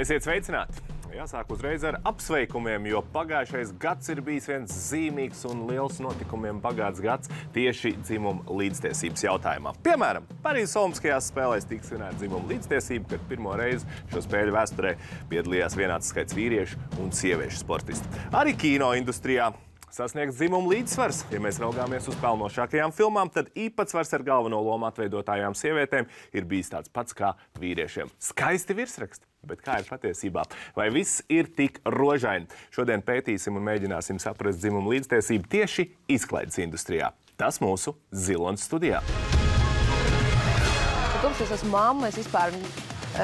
Esiet sveicināti! Jāsāk uzreiz ar apsveikumiem, jo pagājušais gads ir bijis viens zīmīgs un liels notikumiem bagāts gads tieši dzimuma līdztiesības jautājumā. Piemēram, Parīzes Olimpiskajās spēlēs tika svinēta dzimuma līdztiesība, kad pirmo reizi šo spēļu vēsturē piedalījās vienāds skaits vīriešu un sieviešu sportisti. Arī kino industrijā sasniegts dzimuma līdzsvars. Ja mēs raugāmies uz pelnošākajām filmām, tad īpatsvars ar galveno lomu atveidotājām sievietēm ir bijis tāds pats kā vīriešiem. Skaisti virsraksti, bet kā ir patiesībā? Vai viss ir tik rožaini? Šodien pētīsim un mēģināsim saprast dzimuma līdztiesību tieši izklaides industrijā. Tas mūsu Zilonas studijā. Kopš es esmu mamma, es vispār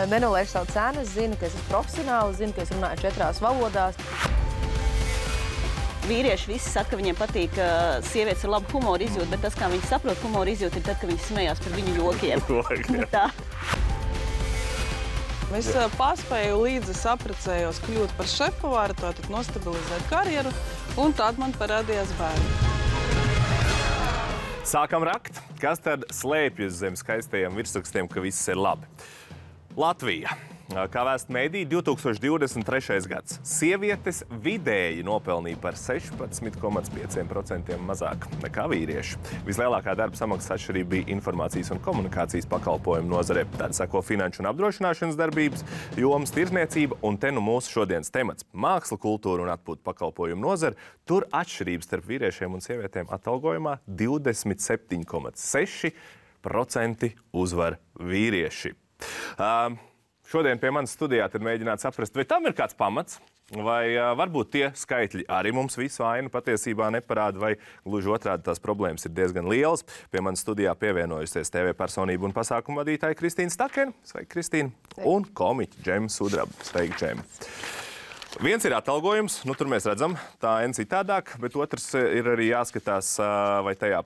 nenolieku savu cenu. Es zinu, ka es esmu profesionāli, zinu, ka es runāju 4 valodās. Vīrieši visi saka, ka viņiem patīk, ka sievietes ar labu humoru izjūtu, bet tas, kā viņi saprot humoru izjūtu, ir tad, kad viņi smējās par viņu jokiem. Tā. Es paspēju līdzi saprecējos kļūt par šefpavāru, tātad nostabilizēt karjeru, un tad man parādījās bērni. Sākam rakt, kas tad slēpjas zem skaistajiem virsrakstiem, ka viss ir labi. Latvija. Kā vēsta mēdī, 2023. gads. Sievietes vidēji nopelnīja par 16,5% mazāk nekā vīrieši. Vislielākā darba samaksas atšķirība bija informācijas un komunikācijas pakalpojumu nozarē. Tad sako finanšu un apdrošināšanas darbības, jomas tirzniecība un te nu mūsu šodienas temats - māksla, kultūra un atpūtu pakalpojumu nozara. Tur atšķirības starp vīriešiem un sievietēm atalgojumā 27,6% uzvar vīrieši. Šodien pie manas studijā tad mēģināt saprast, vai tam ir kāds pamats, vai varbūt tie skaitļi arī mums visu ainu patiesībā neparāda, vai gluži otrādi tās problēmas ir diezgan lielas. Pie manas studijā pievienojusies TV personība un pasākumu vadītāja Kristīna Stakene. Sveika, Kristīna! Un komiķa Džema Sudraba. Sveika, Džema! Viens ir atalgojums, tur mēs redzam, tā en citādāk, bet otrs ir arī jāskatās, vai tajā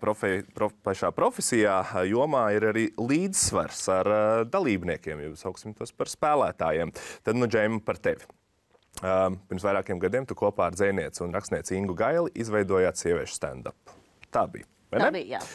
pašā profesijā jomā ir arī līdzsvars ar dalībniekiem, ja sauksim tos par spēlētājiem. Tad, Džema, par tevi. Pirms vairākiem gadiem tu kopā ar dzejnieci un rakstnieci Ingu Gaili izveidojāt sieviešu stand-up. Tā bija, vai ne? Tā bija, jā.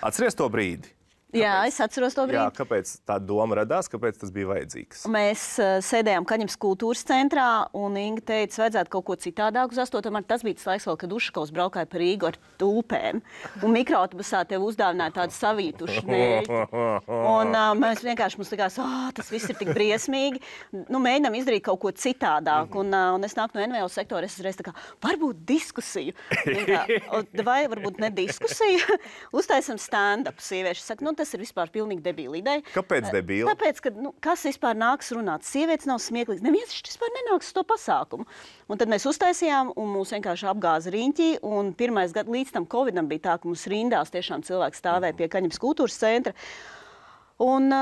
Atceries to brīdi? Jā, es atceros to brīdi. Jā, kāpēc tā doma radās, kāpēc tas bija vajadzīgs? Mēs sēdējām Kaņepes kultūras centrā, un Inga teica, vajadzētu kaut ko citādāk uz 8. martu. Tas bija tas laiks, kad Ušakovs braukāja par Rīgu ar tulpēm, un mikroautobusā tev uzdāvināja tādu savītušu mērķi. Un mēs vienkārši mums likās, tas viss ir tik briesmīgi. Mēģinām izdarīt kaut ko citādāk, un es nāku no NVO sektora, es reiz tā kā, varbūt diskusiju. Vai varbūt ne diskusiju? Uztaisam stand-up. Sievieši saka, tas ir vispār pilnīgi debīla ideja. Kāpēc debīla? Tāpēc, ka kas vispār nāks runāt? Sievietes nav smieklīgas. Neviens vispār nenāks uz to pasākumu. Un tad mēs uztaisījām, un mūs vienkārši apgāza riņķī. Un pirmais gads līdz tam Covidam bija tā, ka mums rindās tiešām cilvēki stāvēja pie Kaņepes kultūras centra. Un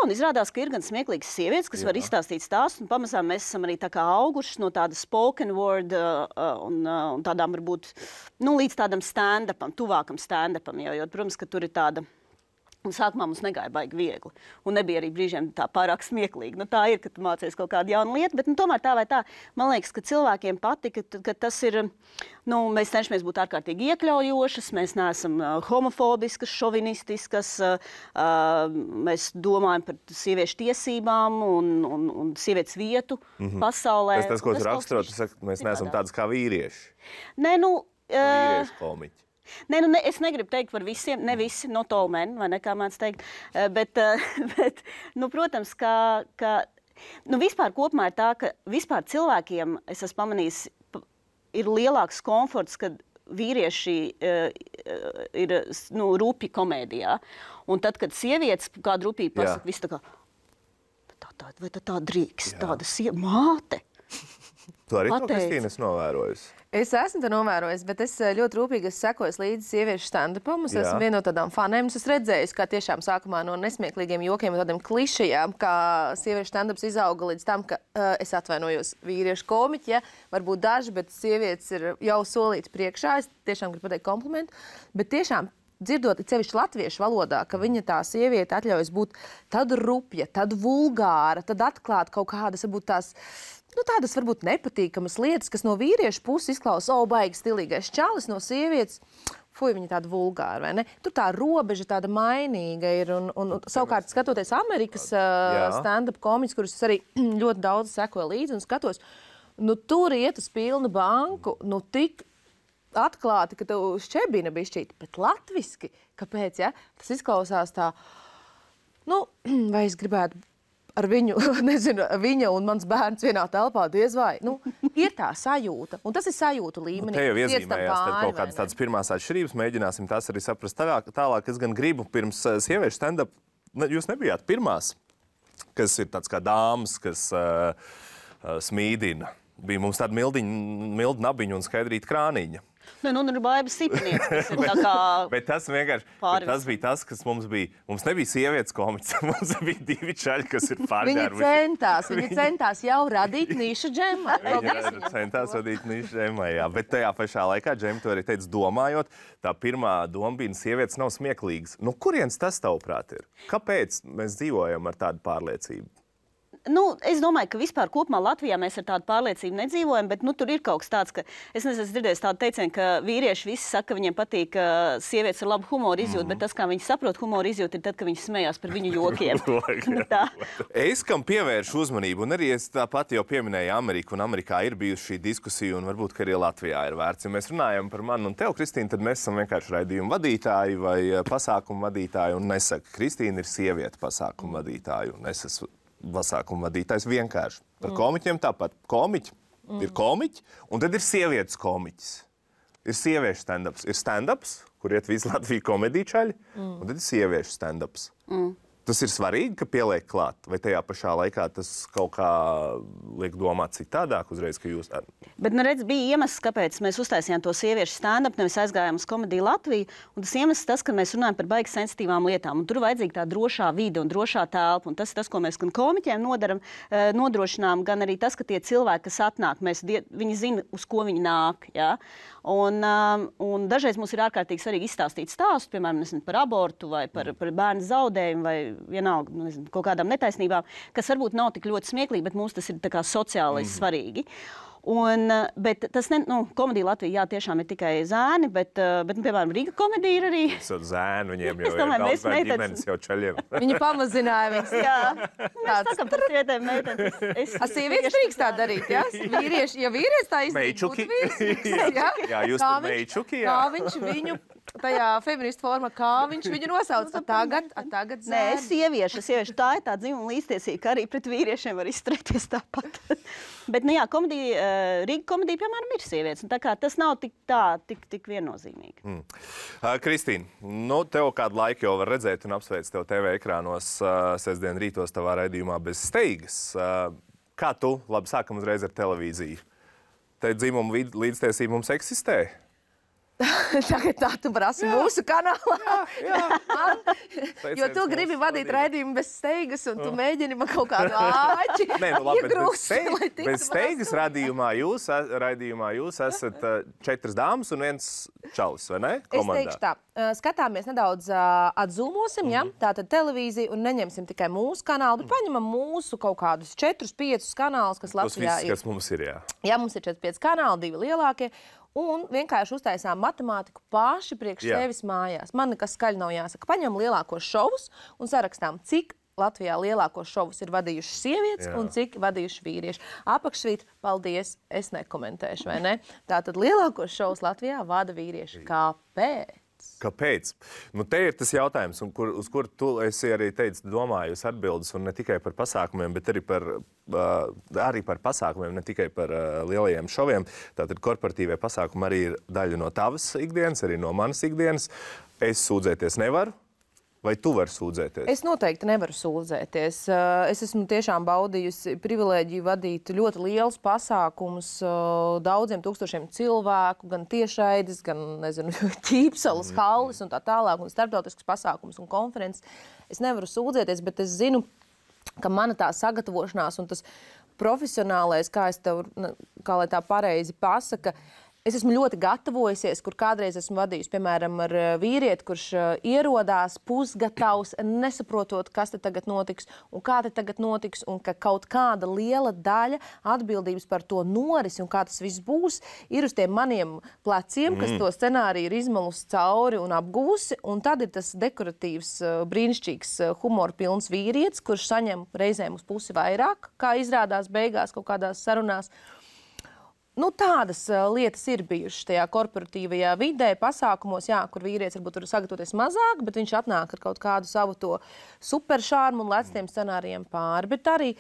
izrādās, ka ir gan smieklīgas sievietes, kas var izstāstīt stāstu, un pamazām mēs esam arī tā kā augušas no tāda spoken word un tādām varbūt, līdz tādam stand-upam, tuvākam stand-upam, jo, protams, ka tur ir tāda. Un sākumā mums negāja baigi viegli. Un nebija arī brīžiem tā pārāk smieklīgi. Tā ir, ka tu mācies kaut kādu jaunu lietu, bet tomēr tā vai tā, man liekas, ka cilvēkiem patika, ka tas ir, mēs cenšamies būt ārkārtīgi iekļaujošas, mēs neesam homofobiskas, šovinistiskas, mēs domājam par sieviešu tiesībām un sievietes vietu pasaulē. Tas, ko tu raksturot, tu saki, mēs neesam tādas kā vīrieši. Vīriešu komiķi. Es negribu teikt par visiem, ne visi, not all men, vai ne, kā mēdz teikt, bet protams, ka vispār kopumā ir tā, ka vispār cilvēkiem, es esmu pamanījis, ir lielāks komforts, kad vīrieši ir rupji komēdijā. Un tad, kad sievietes kādu rupīgi pasaka, viss tā kā, vai tā drīkst, tāda māte. Tu arī to, Kristīna, esi novērojusi? Es esmu to novērojis, bet es ļoti rūpīgi sekoju līdzi sieviešu stand-upam. Es esmu viena no tādām fanēm. Es redzēju, kā tiešām sākumā no nesmieklīgiem jokiem un tādiem klišejām, kā sieviešu stand-ups izauga līdz tam, ka es atvainojos vīriešu komiķi, varbūt daži, bet sievietes ir jau solītas priekšā. Es tiešām gribu pateikt komplimentu, bet tiešām dzirdot sevišķi latviešu valodā, ka viņa tā sieviete atļaujas būt tad rupja, tad vulgāra, tad atklāt kaut kādas, varbūt tās tādas varbūt nepatīkamas lietas, kas no vīriešu puses izklausās, baigi stilīgais čalis, no sievietes. fuj, viņi tādi vulgāri, vai ne? Tur tā robeža tāda mainīga ir, un savukārt skatoties Amerikas stand-up komiķus, kurus es arī ļoti daudz sekoju līdzi un skatos, nu tur iet uz pilnu banku, nu tik atklāti, ka tev šķebina bišķīt, bet latviski, kāpēc, ja? Tas izklausās tā, nu, vai es gribētu ar viņu, nezinu, viņa un mans bērns vienā telpā diez vai. Nu, ir tā sajūta, un tas ir sajūtu līmenī. Te jau iezīmējās kaut kādas tādas pirmās atšķirības, mēģināsim tās arī saprast tālāk. Es gan gribu pirms sieviešu stand-up, jūs nebijāt pirmās, kas ir tāds kā dāmas, kas smīdina. Bija mums tāda milda nabiņa un skaidrīta krāniņa. Nu, ir Baiba Sipnieks, kas ir tā kā Bet tas vienkārši, tas bija tas, kas mums bija. Mums nebija sievietes komiķis, mums bija divi čaļi, kas ir pārģērbuši. Viņi centās jau radīt nišu džemai. Viņi centās radīt nišu džemai, jā. Bet tajā pašā laikā, Džem, tu arī teici, domājot, tā pirmā doma bija, sievietes nav smieklīgas. Nu, kurienes tas tavuprāt ir? Kāpēc mēs dzīvojam ar tādu pārliecību? Nu, es domāju, ka vispār kopumā Latvijā mēs ar tādu pārliecību nedzīvojam, bet tur ir kaut kas tāds, ka es nezinu, dzirdēju tādu teicienu, ka vīrieši visi saka, ka viņiem patīk, ka sievietes ar labu humoru izjūtu, bet tas, kā viņi saprot humoru izjūtu, ir tad, kad viņi smējās par viņu jokiem. Es, kam pievēršu uzmanību, un arī es tāpat jau pieminēju Ameriku, un Amerikā ir bijusi šī diskusija, un varbūt, ka arī Latvijā ir vērts. Ja mēs runājam par mani un tev, Kristīna, tad mēs esam vienkārši raidījumu vadītāji vai pasākumu vadītāji, un nesaka, Kristīna ir sieviete pasākumu vadītāju, un es esmu pasākumu vadītājs vienkārši. Par komiķiem tāpat. Komiķi ir komiķi, un tad ir sievietes komiķis. Ir sieviešu stand-ups. Ir stand-ups, kur iet visu Latviju komedīčaļi, un tad ir sieviešu stand-ups. Tas ir svarīgi, ka pieliek klāt, vai tajā pašā laikā tas kaut kā liek domāt citādāk uzreiz, ka jūs... Bet, redz, bija iemesls, kāpēc mēs uztaisījām to sieviešu stand-up, nevis aizgājām uz Komediju Latviju, un tas iemesls tas, ka mēs runājam par baigi sensitīvām lietām, un tur vajadzīga tā drošā vide un drošā telpa, un tas ir tas, ko mēs gan komiķiem nodrošinām, gan arī tas, ka tie cilvēki, kas atnāk, viņi zina, uz ko viņi nāk, ja? Un dažreiz mums ir ārkārtīgi svarīgi izstāstīt stāstu, piemēram, par abortu vai par bērnu zaudējumu vai vienalga, kaut kādām netaisnībām, kas varbūt nav tik ļoti smieklīgi, bet mums tas ir tā kā sociālais svarīgi. Bet tas Komedija Latvija, jā, tiešām ir tikai zēni, bet piemēram, Rīga komedija ir arī... Zēni, viņiem jau ir daudz vai ģimenes jau čaļiem. Viņi pamazināja viņas. Jā, mēs sakam par sievietēm meitenes. Sievietes drīkst tā darīt, jā? Ja vīrietis tā izdarīt, būtu vīrietis. Jā, jūs tur meičuki, jā. Kā viņš viņu... Tajā feministu formā, kā viņš viņu nosauc, tagad zēni. Nē, sieviešu, tā ir tā dzimuma līdztiesība, ka arī pret vīriešiem var izturēties tāpat. Bet, jā, Rīga komedija, piemēram, ir sievietes, un tā kā tas nav tik viennozīmīgi. Kristīna, tev kādu laiku jau var redzēt un apsveic tev TV ekrānos sestdien rītos tavā raidījumā Bez steigas. Kā tu, labi, sākam uzreiz ar televīziju. Te dzimuma līdztiesība mums eksistē? Tagad tā tu prasi mūsu kanālā. Jo tu gribi vadīt raidījumu Bez steigas, un tu mēģini man kaut kādu āķi iegrūst. Bez steigas raidījumā jūs esat 4 dāmas un 1 čalis, vai ne? Komandā. Es teikšu tā, skatāmies nedaudz atzūmosim, ja? Tātad televīziju, un neņemsim tikai mūsu kanālu, bet paņemam mūsu kaut kādus 4-5 kanālus, kas Latvijā ir. Kas mums ir, jā. Jā, mums ir 4-5 kanāli, 2 lielākie. Un vienkārši uztaisām matemātiku paši priekš sevis mājās. Man nekas skaļi nav jāsaka. Paņemam lielākos šovus un sarakstām, cik Latvijā lielākos šovus ir vadījuši sievietes un cik vadījuši vīrieši. Apakšvīt, paldies, es nekomentēšu, vai ne? Tātad lielākos šovus Latvijā vada vīrieši. Kāpēc? Kāpēc? Te ir tas jautājums, uz kuru tu esi arī teicis, domājus atbildes, un ne tikai par pasākumiem, bet arī par pasākumiem, ne tikai par lielajiem šoviem. Tātad korporatīvie pasākumi arī ir daļa no tavas ikdienas, arī no manas ikdienas. Es sūdzēties nevaru. Vai tu vari sūdzēties? Es noteikti nevaru sūdzēties. Es esmu tiešām baudījusi privilēģiju vadīt ļoti lielus pasākumus daudziem tūkstošiem cilvēku, gan tiešraides, gan, ķīpsalas, halles un tā tālāk, un starptautiskas pasākumus un konferences. Es nevaru sūdzēties, bet es zinu, ka mana tā sagatavošanās un tas profesionālais, kā lai tā pareizi pasaka, Es esmu ļoti gatavojusies, kur kādreiz esmu vadījusi, piemēram, ar vīrieti, kurš ierodās pusgatavs, nesaprotot, kas te tagad notiks un kā te tagad notiks, un ka kaut kāda liela daļa atbildības par to norisi un kā tas viss būs, ir uz tiem maniem pleciem, kas to scenāriju ir izmalusi cauri un apguvusi, un tad ir tas dekoratīvs, brīnišķīgs, humora pilns vīrietis, kurš saņem reizēm uz pusi vairāk, kā izrādās beigās kaut kādās sarunās. Nu, tādas lietas ir bijušas tajā korporatīvajā vidē, pasākumos, jā, kur vīrietis varbūt var sagatavoties mazāk, bet viņš atnāk ar kaut kādu savu to superšārmu un lec tiem scenārijiem pāri. Bet arī,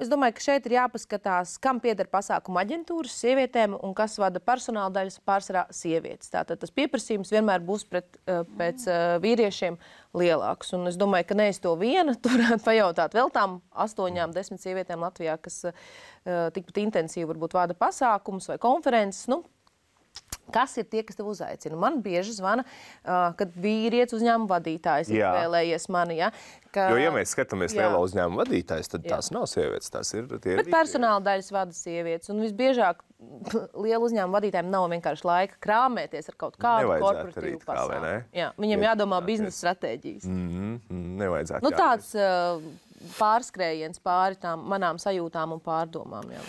es domāju, ka šeit ir jāpaskatās, kam pieder pasākuma aģentūras sievietēm un kas vada personāla daļas pārsvarā sievietes. Tātad tas pieprasījums vienmēr būs pēc vīriešiem lielāks. Un es domāju, ka nevis to viena, tur varētu pajautāt vēl tām 8-10 sievietēm Latvijā, kas tikpat intensīvi varbūt vada pasākumus vai konferences. Kas ir tie, kas tev uzaicina? Man bieži zvana, kad vīrietis uzņēmuma vadītājs ir vēlējies mani. Ja? Jo, ja mēs skatāmies lielā uzņēmuma vadītājs, tad tās nav sievietes, tās ir tie Bet personāla daļas vada sievietes. Un visbiežāk liela uzņēmuma vadītājiem nav vienkārši laika krāmēties ar kaut kādu korporatīvu pasākumu. Jā, viņam jādomā biznesa stratēģijas. Nevajadzētu. Tāds pārskrējiens pāri tām manām sajūtām un pārdomām. Jā.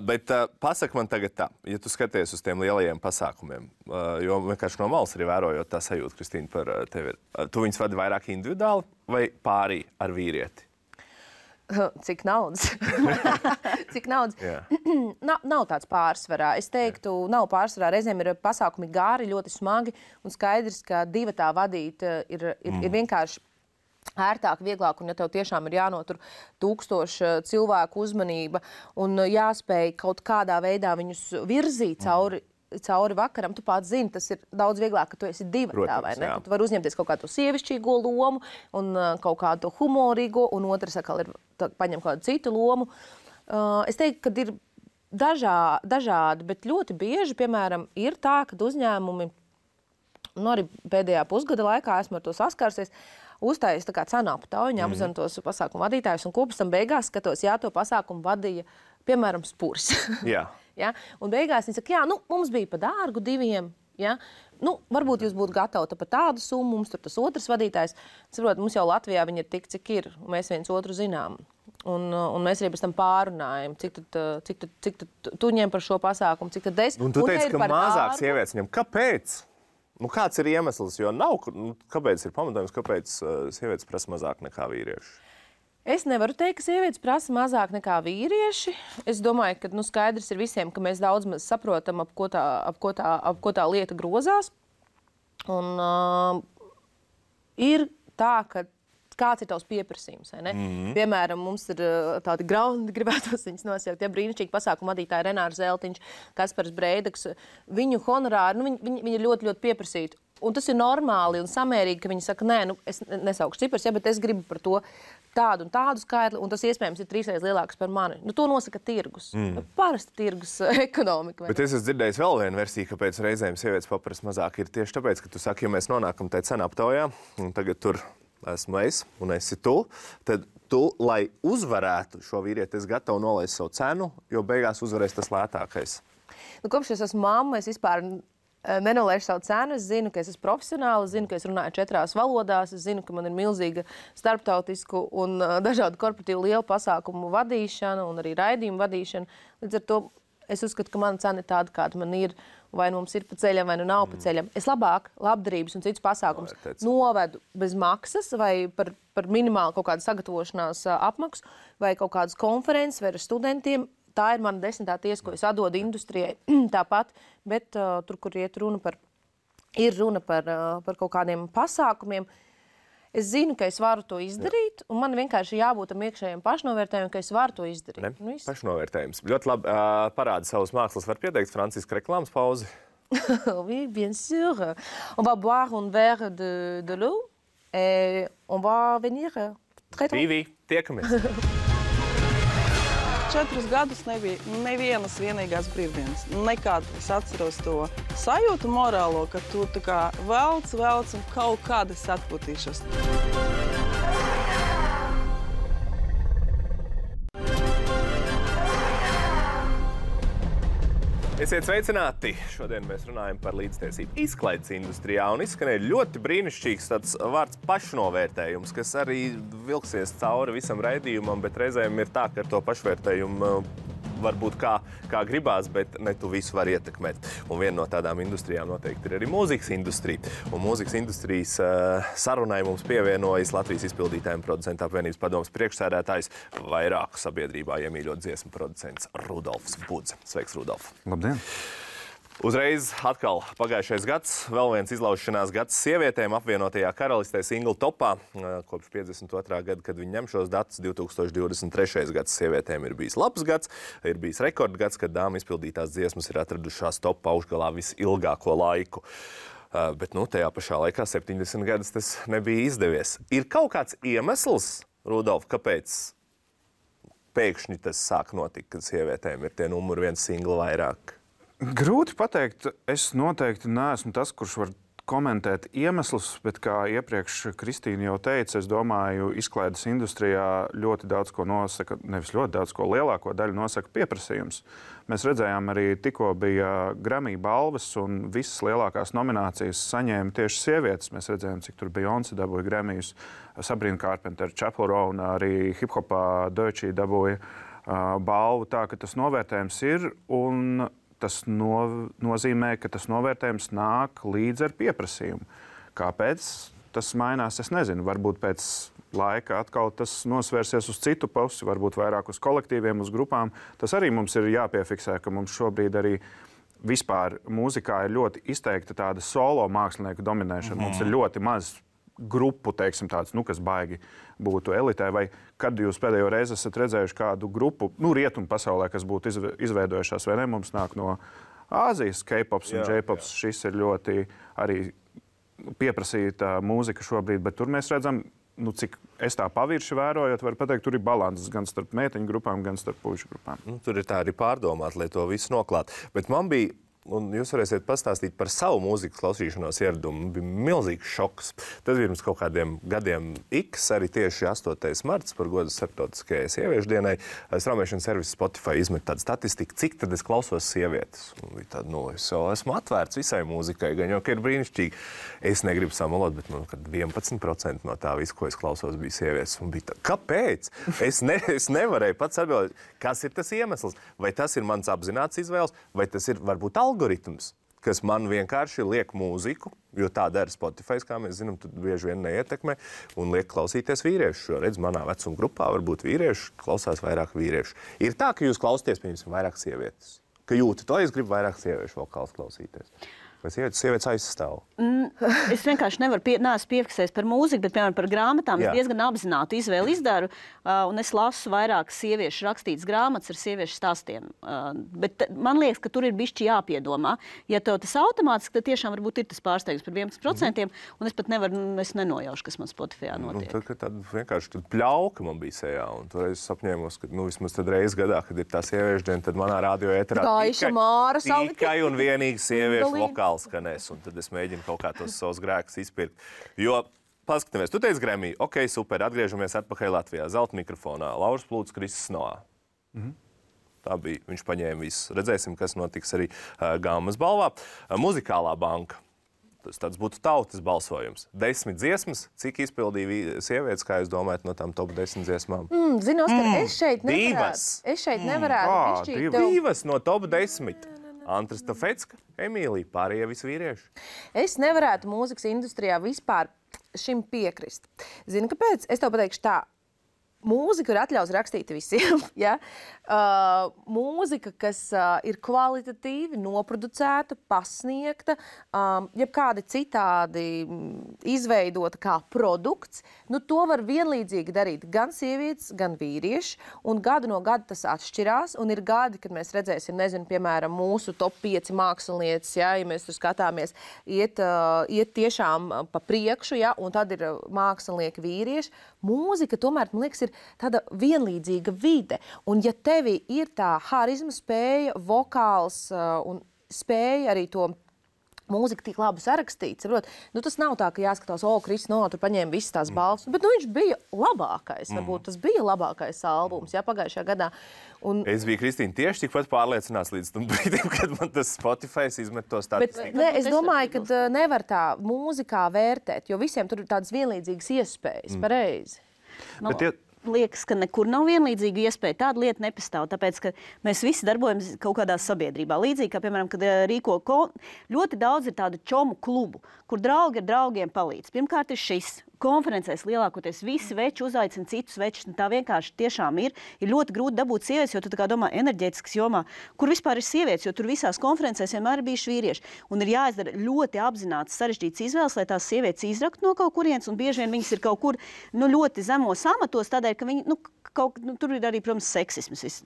Bet pasaka man tagad tā, ja tu skaties uz tiem lielajiem pasākumiem, jo vienkārši no malas arī vērojot tā sajūta, Kristīna, par tevi. Tu viņus vadi vairāk individuāli vai pārī ar vīrieti? Cik naudas? Cik naudas? Nav tāds pārsvarā. Es teiktu, nav pārsvarā. Reizēm ir pasākumi gāri, ļoti smagi, un skaidrs, ka divatā vadīt ir vienkārši ērtāk, vieglāk, un ja tev tiešām ir jānotur 1000 cilvēku uzmanība un jāspēj kaut kādā veidā viņus virzīt cauri vakaram, tu pats zini, tas ir daudz vieglāk, ka tu esi divatā, vai ne? Tu vari uzņemties kaut kādu sievišķīgo lomu un kaut kādu humorīgo, un otrs atkal paņem kādu citu lomu. Es teiktu, ka ir dažādi, bet ļoti bieži, piemēram, ir tā, ka uzņēmumi, arī pēdējā pusgada laikā esmu ar to saskārsies, uztājas tā kā cenu aptauju, apzina tos pasākumu vadītājus, un kopš tam beigās skatos, to pasākumu vadīja, piemēram, Spurs. Jā. Ja? Un beigās viņi saka, mums bija pa dārgu diviem, ja? Varbūt jūs būtu gatavi par tādu summu, mums tur tas otrs vadītājs. Saprot, mums jau Latvijā viņi ir tik, cik ir, un mēs viens otru zinām. Un mēs arī pēc tam pārunājam, cik tad tu ņem par šo pasākumu, cik tad es. Un tu teici, ka mazāk sievietes ņem. Kāpēc? Kāds ir iemesls, jo nav, kāpēc ir pamatojums, kāpēc sievietes prasa mazāk nekā vīrieši? Es nevaru teikt, ka sievietes prasa mazāk nekā vīrieši. Es domāju, ka skaidrs ir visiem, ka mēs daudz maz saprotam, ap ko tā lieta grozās. Un ir tā, ka kāds ir tavs pieprasījums, vai ne? Piemēram, mums ir tādi graundi, gribētos viņus nosaukt, brīnišķīgi pasākumu vadītāji Renārs Zeltiņš, Kaspars Breidaks. Viņu honorāri, viņi ir ļoti, ļoti pieprasīti. Un tas ir normāli un samērīgi, ka viņi saka, es nesaukšu cipars, bet es gribu par to tādu un tādu skaitli, un tas iespējams ir 3 reizes lielāks par mani. To nosaka tirgus. Parasti tirgus ekonomika. Bet es esmu dzirdējis vēl vienu versiju, kāpēc reizēm sievietes paprasa mazāk. Ir tieši tāpēc, ka tu saki, ja mēs nonākam tajā cenu aptaujā, un tagad tur esmu es un esi tu, tad tu, lai uzvarētu šo vīrieti, esi gatava nolaist savu cenu, jo beigās uzvarēs tas lētākais. Kopš es esmu mamma, es vispār nenolaižu savu cenu. Es zinu, ka es esmu profesionāli, es zinu, ka es runāju 4 valodās, es zinu, ka man ir milzīga starptautisku un dažādu korporatīvu lielu pasākumu vadīšana un arī raidījumu vadīšana. Līdz ar to es uzskatu, ka mana cena ir tāda, kāda man ir, vai mums ir pa ceļam, vai nav pa ceļam. Es labāk labdarības un citus pasākumus novedu bez maksas vai par minimālu kaut kādu sagatavošanās apmaksu vai kaut kādas konferences vai ar studentiem. Tā ir mana 10. tiesa, ko es atdodu industrijai tāpat, bet tur, kur ir runa par kaut kādiem pasākumiem, es zinu, ka es varu to izdarīt, un man vienkārši jābūt tam iekšējiem pašnovērtējumam, ka es varu to izdarīt. Pašnovērtējums. Ļoti labi parāda savus mākslas. Var pieteikt Franciska reklāmas pauzi? Oui, bien sûr. On va boire un verre de l'eau et on va venir très tôt. Vivi, tiekamies. 4 gadus nebija nevienas vienīgās brīvdienas. Nekad es atceros to sajūtu morālo, ka tu tā kā velc un kaut kāda es atpūtīšos. Esiet sveicināti! Šodien mēs runājam par līdztiesību izklaides industrijā un izskanēja ļoti brīnišķīgs tāds vārds pašnovērtējums, kas arī vilksies cauri visam raidījumam, bet reizēm ir tā, ka ar to pašvērtējumu varbūt kā gribās, bet ne tu visu var ietekmēt. Un viena no tādām industrijām noteikti ir arī mūzikas industrija. Un mūzikas industrijas sarunai mums pievienojas Latvijas izpildītājiem producentu apvienības padomes priekšsēdētājs, vairāku sabiedrībā iemīļot dziesmu producents Rudolfs Budze. Sveiks, Rudolf! Labdien! Uzreiz atkal pagājušais gads, vēl viens izlaušanās gads sievietēm apvienotajā karalistē singlu topā. Kopš 52. gada, kad viņi ņem šos datus, 2023. gads sievietēm ir bijis labs gads, ir bijis rekordgads, kad dāmu izpildītās dziesmas ir atradušās topā augšgalā visilgāko laiku. Bet tajā pašā laikā 70 gadus tas nebija izdevies. Ir kaut kāds iemesls, Rudolf, kāpēc pēkšņi tas sāk notikt, kad sievietēm ir tie numuri 1 singli vairāk? Grūti pateikt. Es noteikti neesmu tas, kurš var komentēt iemeslus, bet kā iepriekš Kristīna jau teica, es domāju, izklaides industrijā ļoti daudz ko nosaka, nevis ļoti daudz ko, lielāko daļu nosaka pieprasījums. Mēs redzējām arī tikko bija Grammy balvas un visas lielākās nominācijas saņēma tieši sievietes. Mēs redzējām, cik tur Beyoncé dabūja Grammyjus, Sabrina Carpenter, Chappell Roan, arī hip-hopā Deutsche dabūja balvu. Tā, ka tas novērtējums ir un tas nozīmē, ka tas novērtējums nāk līdz ar pieprasījumu. Kāpēc tas mainās, es nezinu. Varbūt pēc laika atkal tas nosvērsies uz citu pusi, varbūt vairāk uz kolektīviem, uz grupām. Tas arī mums ir jāpiefiksē, ka mums šobrīd arī vispār mūzikā ir ļoti izteikta tāda solo mākslinieku dominēšana. Mums ir ļoti maz grupu, teiksim, tāds, kas baigi būtu elitē, vai kad jūs pēdējo reizi esat redzējuši kādu grupu, rietumu pasaulē, kas būtu izveidojušās, vai ne? Mums nāk no Āzijas, K-pops un J-pops. Šis ir ļoti arī pieprasīta mūzika šobrīd, bet tur mēs redzam, cik es tā pavirši vērojot, var pateikt, tur ir balanses gan starp meiteņu grupām, gan starp puišu grupām. Tur ir tā arī pārdomāt, lai to visu noklāt. Bet man bija, un jūs varēsiet pastāstīt par savu mūzikas klausīšanos ieradumu, bija milzīgs šoks. Tas bija pirms kaut kādiem gadiem X, arī tieši 8. marts par godu starptautiskajai sieviešu dienai. Straumēšanas serviss Spotify izmet tādu statistiku, cik tad es klausos sievietes. Un bija tāda, es jau esmu atvērts visai mūzikai, gan jau, ka ir brīnišķīgi. Es negribu samalot, bet kad 11% no tā visu, ko es klausos, bija sievietes. Un bija tā, kāpēc? Es nevarēju pats atbildēt, kas ir tas iemesls. Vai tas ir mans apzināts izvēles, vai tas ir varbūt algoritms, kas man vienkārši liek mūziku, jo tā dara Spotify, kā mēs zinām, tad bieži vien neietekmē, un liek klausīties vīriešu. Jo, redz, manā vecuma grupā varbūt vīrieši klausās vairāk vīriešu. Ir tā, ka jūs klausāties, pieņemsim, vairāk sievietes. Ka jūti to, es gribu vairāk sieviešu vokāls klausīties. Vai sievietes aizstāv? Es vienkārši neesmu piefiksējis par mūziku, bet, piemēram, par grāmatām. Es diezgan apzināti izvēli izdaru, un es lasu vairāk sieviešu rakstītas grāmatas ar sieviešu stāstiem. Bet man liekas, ka tur ir bišķi jāpiedomā. Ja tev tas automātiski, tad tiešām varbūt ir tas pārsteigums par 11%, un es pat es nenojaušu, kas man Spotifyā notiek. Tad vienkārši pļauka man bija sejā, un toreiz es apņēmos, ka vismaz tad reiz gadā, kad ir tā sieviešu diena, tad manā radio ēterā tikai un vienīgi sieviešu vokāli skanēs, un tad es mēģinu kaut kā tos savus grēkus izpirkt. Jo, paskatāmies, tu teici Grammy, ok, super, atgriežamies atpakaļ Latvijā, zelta mikrofonā, Lauris Plūts, Kristis Noā. Tā bija, viņš paņēma visu. Redzēsim, kas notiks arī Gammas balvā. Muzikālā banka. Tas tāds būtu tautas balsojums. 10 dziesmas, cik izpildīja sievietes, kā jūs domājat, no tām top 10 dziesmām? Zinu, Oskar, es šeit nevarētu. Divas no top 10. Antras Tafecka, Emīlija, pārējie visi vīrieši. Es nevarētu mūzikas industrijā vispār šim piekrist. Zini, kāpēc? Es tev pateikšu tā. Mūzika ir atļauts rakstīt visiem. Ja? Mūzika, kas ir kvalitatīvi noproducēta, pasniegta, jebkādi citādi izveidota kā produkts, to var vienlīdzīgi darīt gan sievietes, gan vīrieši. Un gadu no gada tas atšķirās. Un ir gadi, kad mēs redzēsim, piemēram, mūsu top 5 mākslinieces, ja mēs tur skatāmies, iet tiešām pa priekšu, ja? Un tad ir mākslinieki vīrieši. Mūzika tomēr, man liekas, ir tāda vienlīdzīga vide. Un ja tevi ir tā harizma spēja, vokāls un spēja arī to mūzika tik labi sarakstīta, saprot? Nu, tas nav tā, ka jāskatās, Kristis tur paņēma visas tās balvas, bet viņš bija labākais. Varbūt tas bija labākais albums, pagājušajā gadā. Un... Es biju, Kristīna, tieši tikpat pārliecināts līdz tam brīdim, kad man tas Spotify izmet to statistiku. Bet, es domāju, ka nevar tā mūzikā vērtēt, jo visiem tur ir tādas vienlīdzīgas iespējas, pareizi. Liekas, ka nekur nav vienlīdzīga iespēja. Tāda lieta nepastāv, tāpēc, ka mēs visi darbojamies kaut kādā sabiedrībā. Līdzīgi, kā, piemēram, kad rīko ļoti daudz ir tādu čomu klubu, kur draugi ar draugiem palīdz. Pirmkārt ir šis. Konferencēs lielākoties visi veči uzaicina citus večus. Tā vienkārši tiešām ir ļoti grūti dabūt sievietes, jo tu tā kā domā enerģētikas jomā, kur vispār ir sievietes, jo tur visās konferencēs vienmēr ir bijuši vīrieši. Un ir jāizdara ļoti apzināts, sarežģīts izvēles, lai tās sievietes izraktu no kaut kurienes, un bieži vien viņas ir kaut kur ļoti zemos amatos, tādēļ, ka viņi, tur ir arī, protams, seksisms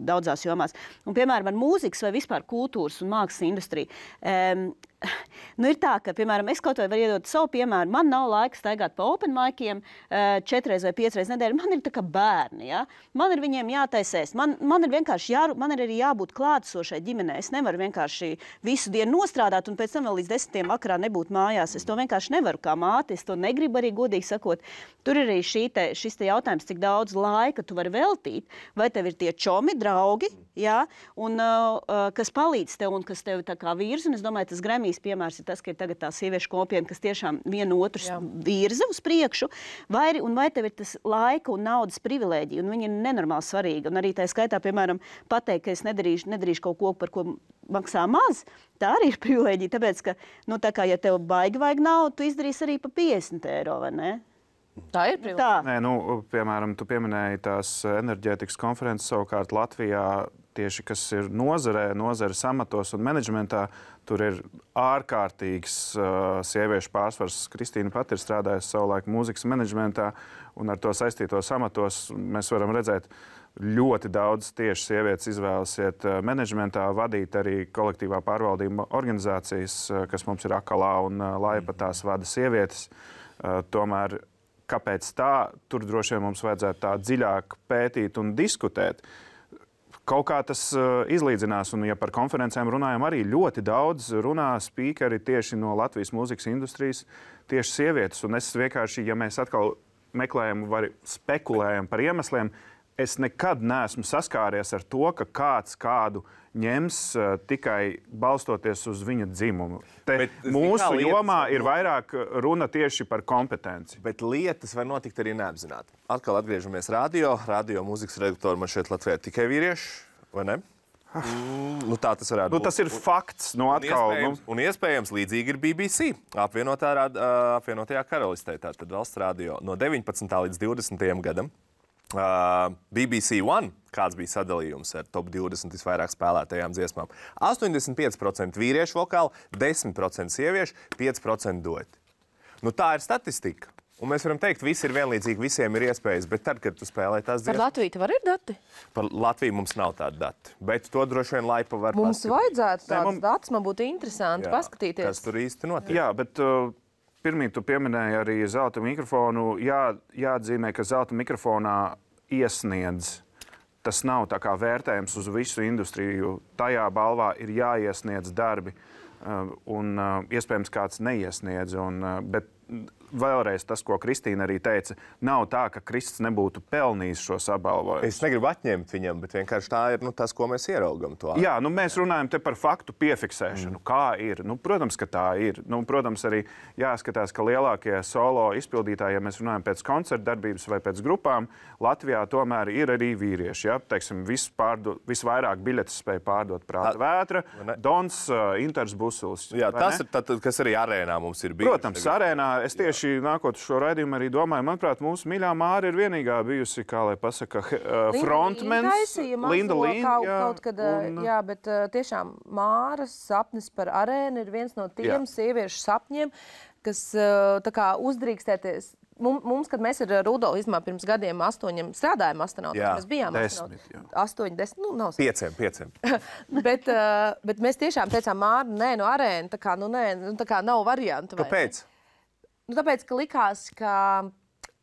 daudzās jomās. Un, piemēram, ar mūzikas vai vispār kultūras un mākslas industriju. Ir tā, ka, piemēram, es kaut vai varu iedot savu piemēru. Man nav laika staigāt pa open miciem 4 vai 5 reizes nedēļā. Man ir tā kā bērni, ja? Man ir viņiem jātaisēs. Man ir vienkārši man ir arī jābūt klātesošai ģimenei. Es nevaru vienkārši visu dienu nostrādāt un pēc tam vēl līdz 10 vakarā nebūt mājās. Es to vienkārši nevaru kā māte. Es to negribu arī godīgi sakot. Tur ir arī šis te jautājums, cik daudz laika tu vari veltīt. Vai tev ir tie čomi, draugi, ja? Un kas palīdz tev un kas tev tā kā virza. Un es domāju, tas Grammy piemērs ir tas, ka ir tagad tā sieviešu kopiena, kas tiešām vienu otru virza uz priekšu, vai tev ir tas laika un naudas privilēģija, un viņi ir nenormāli svarīgi. Un arī tā skaitā, piemēram, pateikt, ka es nedarīšu kaut ko, par ko maksā maz, tā arī ir privilēģija, tāpēc, ka, tā kā, ja tev baigi vajag naudu, tu izdarīsi arī pa 50 eiro, vai ne? Tā ir privilēģija. Nē, piemēram, tu pieminēji tās enerģētikas konferences savukārt Latvijā, tieši kas ir nozares amatos un menedžmentā, tur ir ārkārtīgs sieviešu pārsvars. Kristīna pat ir strādājusi savulaik mūzikas menedžmentā, un ar to saistītos amatos mēs varam redzēt ļoti daudz tieši sievietes izvēlas iet menedžmentā, vadīt arī kolektīvā pārvaldība organizācijas, kas mums ir Akalā un Laipa, tās vada sievietes. Tomēr, kāpēc tā? Tur droši vien mums vajadzētu tā dziļāk pētīt un diskutēt. Kaut kā tas izlīdzinās, un ja par konferencēm runājam, arī ļoti daudz runā spīkeri tieši no Latvijas mūzikas industrijas, tieši sievietes. Un es vienkārši, ja mēs atkal meklējam vai spekulējam par iemesliem, es nekad neesmu saskāries ar to, ka kāds kādu ņems tikai balstoties uz viņa dzimumu. Mūsu jomā ir vairāk runa tieši par kompetenci. Bet lietas var notikt arī neapzināti. Atkal atgriežamies radio mūzikas redaktori man šeit Latvijā tikai vīrieši, vai ne? Tā tas varētu būt. Tas ir fakts. Un iespējams līdzīgi ir BBC, apvienotajā karalistē, tātad valsts radio no 19. līdz 20. gadam. BBC One, kāds bija sadalījums ar top 20 visvairāk spēlētajām dziesmām. 85% vīriešu vokāli, 10% sieviešu, 5% dueti. Tā ir statistika. Un mēs varam teikt, visi ir vienlīdzīgi, visiem ir iespējas, bet tad, kad tu spēlē tās dziesmas... Par Latviju tev ir dati? Par Latviju mums nav tādi dati, bet to droši vien Laipa var mums paskatīt. Vajadzētu tādas datus, man būtu interesanti paskatīties. Kas tur īsti notiek. Jā, bet... Pirmīt, tu pieminēji arī zelta mikrofonu. Jāatzīmē, ka zelta mikrofonā iesniedz. Tas nav tā kā vērtējums uz visu industriju. Tajā balvā ir jāiesniedz darbi, un iespējams kāds neiesniedz. Bet vēlreiz tas, ko Kristīna arī teica, nav tā, ka Kristis nebūtu pelnījis šos apbalvojumus. Es negribu atņemt viņam, bet vienkārši tā ir tas, ko mēs ieraugam. Jā, mēs runājam te par faktu piefiksēšanu. Kā ir? Protams, ka tā ir. Protams, arī jāskatās, ka lielākie solo izpildītāji, ja mēs runājam pēc koncerta darbības vai pēc grupām, Latvijā tomēr ir arī vīrieši. Ja? Teiksim, visvairāk biļetes spēja pārdot Prāta Vētra, Dons, Inters Busuls. Jā, tas ir tad, kas arī arēnā mums ir bijis. Protams, arēnā. Es tieši nākot uz šo raidījumu arī domāju, manuprāt, mūsu mīļā Māra ir vienīgā bijusi, kā lai pasaka, frontmens. Linda Līna. Kaut kad, jā, bet tiešām Māras sapnis par arēnu ir viens no tiem sieviešu sapņiem, kas tā kā uzdrīkstēties. Mums, kad mēs ar Rudolu pirms gadiem 8 strādājām astronautos, mēs bijām 8, 10, nav 5. bet mēs tiešām teicām, Māra, nē, no arēna, tā kā nav variantu. Kāpēc? Tāpēc, ka likās, ka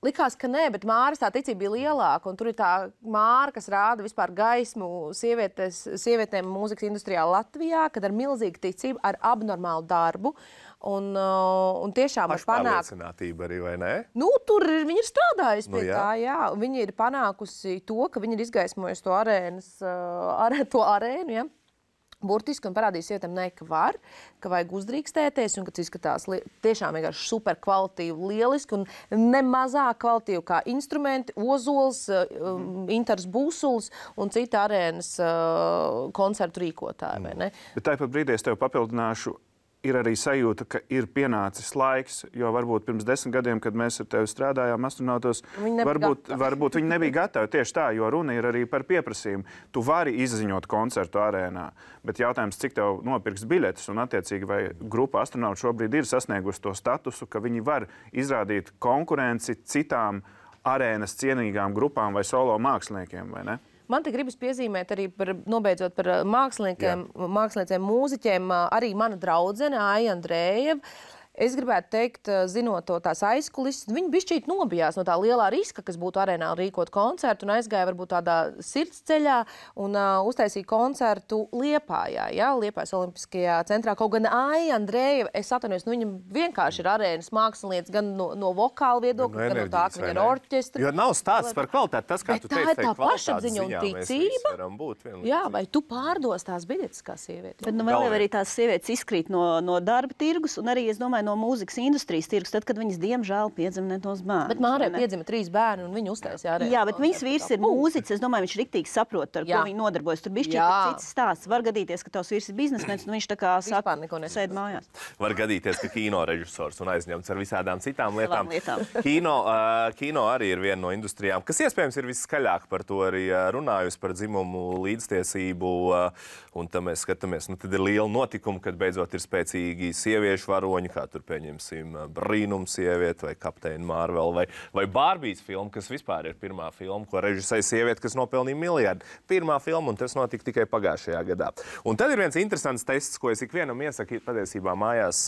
likās, ka nē, bet Māras tā ticība bija lielāka. Un tur ir tā Māra, kas rāda vispār gaismu sievietēm mūzikas industrijā Latvijā, kad ar milzīgu ticību, ar abnormālu darbu. Un tiešām var panākt... Pašpārliecinātība arī, vai ne? Nu, tur viņi ir strādājusi pie tā, jā. Viņi ir panākusi to, ka viņi ir izgaismojusi to arēnu, ja. Burtiski un parādīs sievietēm, ka var, ka vajag uzdrīkstēties un ka tas izskatās tiešām vienkārši super kvalitīvi, lieliski un ne mazāk kvalitīvi kā instrumenti, Ozols, Intars Būsuls un cita arēnas koncertu rīkotāji, vai ne? Bet tāpat brīdī es tev papildināšu, ir arī sajūta, ka ir pienācis laiks, jo varbūt pirms 10 gadiem, kad mēs ar tevi strādājām astronautos, varbūt viņi nebija gatavi tieši tā, jo runa ir arī par pieprasījumu. Tu vari izziņot koncertu arēnā, bet jautājums, cik tev nopirks biļetes un attiecīgi vai grupa astronautu šobrīd ir sasniegusi to statusu, ka viņi var izrādīt konkurenci citām arēnas cienīgām grupām vai solo māksliniekiem, vai ne? Man te gribas piezīmēt arī nobeidzot par māksliniekiem, mūziķiem, arī mana draudzene Aija Andrējeva. Es gribētu teikt, zinot to tās aizkulises, viņi bišķīt nobijās no tā lielā riska, kas būtu arēnā rīkot koncertu un aizgāja varbūt tādā sirdsceļā un uztaisīja koncertu Liepājā, Liepājas Olimpiskajā centrā. Kaut gan Aija Andrējeva, es atvainojos, viņa vienkārši ir arēnas mākslinieca gan no vokāla viedokļa, gan no tā, ka viņa ir orķestra. Jo nav stāsts par kvalitāti, tas, kā tu teici, tā pašapziņa un ticība. Jā, vai tu pārdos tās biļetes kā sieviete? Bet vēl jau arī tās sievietes izkrīt no darba tirgus un arī, es domāju, no mūzikas industrijas tirgus, tad, kad viņas diemžēl piedzima tos bērnus. Bet Mārai piedzima 3 bērni un viņa uztaisīja arēnu. Jā, bet viņas vīrs ir mūziķis, es domāju, viņš riktīgi saprot, ar ko viņi nodarbojas. Tur bišķi cits stāsts. Var gadīties, ka tavs vīrs ir biznesmenis un viņš tā kā sēd mājās. Var gadīties, ka kino režisors un aizņemts ar visādām citām lietām. Kino arī ir viena no industrijām, kas iespējams ir viskaļāk par to arī runājusi, par dzimumu līdztiesību. Un tad mēs skatāmies, tad ir liela notikuma, kad beidzot ir spēcīgi sieviešu varoņi, kā tur pieņemsim Brīnums sievieti vai Kapteini Marvel vai Barbijas filma, kas vispār ir pirmā filma, ko režisēja sieviete, kas nopelnīja miljardu. Pirmā filma, un tas notika tikai pagājušajā gadā. Un tad ir viens interesants tests, ko es ikvienam iesaku patiesībā mājās